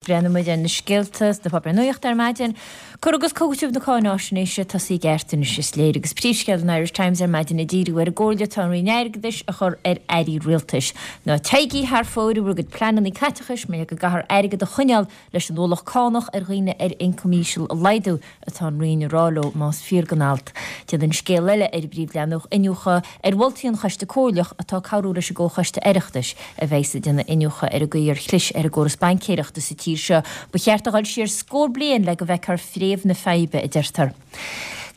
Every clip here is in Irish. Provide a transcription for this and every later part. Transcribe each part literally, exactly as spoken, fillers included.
Breathnóidh muid ar na scéalta sna páipéir nuachta ar maidin. Cur agus cúiteamh na cáináisnéise tosaithe i gceart anois is léir agus príomhscéal an Irish Times ar maidin ag díriú ar an gcomhairle atá an Roinn Airgeadais a chur ar airí rialtais. Ná téigí thar fóir i bhur gcuid pleananna caiteachais mar go gcaithfear airgead a choinneáil leis an ualach cánach ar dhaoine ar ioncam íseal a laghdú atá an Roinn a rá leo más fíor don alt. Déanann scéal eile ar an bpríomhleathanach iniúchadh ar mholtaí an Choiste Comhairleach atá ag cabhrú leis an gComhchoiste Oireachtais a bheidh ag déanamh iniúchadh ar an gcaoi ar chlis ar an gcóras baincéireachta sa tír seo. Ba cheart a dhul siar scór bliain le go bhfeicfear fréamh na faidhbe, a deirtear.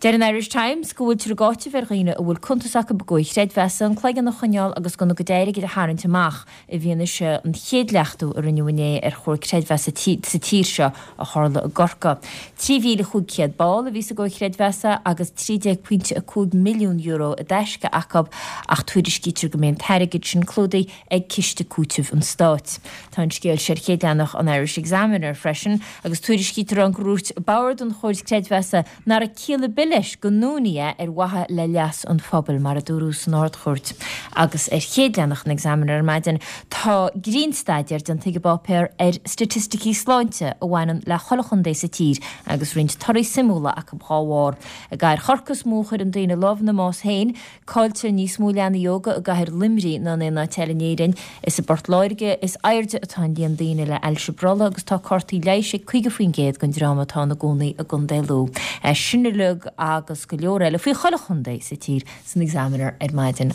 Deir an Irish Times go bhfuiltear ag áiteamh ar dhaoine a bhfuil cuntas acu i gcomhair chreidmheasa an cloigeann a choinneáil agus gan a gcuid airgid a tharraingt amach i bhfianaise an chéad leachtú a rinneadh inné ar chomhar creidmheasa sa tír seo a tharla i gCorcaigh. Trí mhíle chúig chéad ball a bhí sa gcomhar creidmheasa agus trí déag pointe a cúig milliún euro i dtaisce acu ach tuairiscítear go mbeidh an t-airgead sin clúdaithe ag Ciste Cúitimh an Stáit. Tá an scéal seo ar chéad leathanach an Irish Examiner freisin agus tuairiscítear ann gur dhúirt bord an chomhair creidmheasa nach raibh ciall ar bith leis go ndúnfaí é ar mhaithe le leas an phobail, mar a dúradh san Ard-Chúirt. Agus ar chéad leathanach an Examiner ar maidin tá grinnstaidéar déanta ag an bpáipéar ar staitisticí sláinte a bhaineann le chuile chontae sa tír agus roinnt torthaí suimiúla acu dhá bharr. I gcathair Chorcaí is mó a chuireann daoine lámh ina mbás féin, cailltear níos mó leanaí óga i gcathair Luimnigh ná in aon áit eile in Éirinn. Is i bPort Láirge is airde atá an líon daoine le hailse brollaigh agus tá cártaí leighis ag caoga faoin gcéad den dream atá ina gcónaí i gContae Lú. É sin uilig agus go leor eile faoi chuile chontae sa tír san Examiner ar maidin.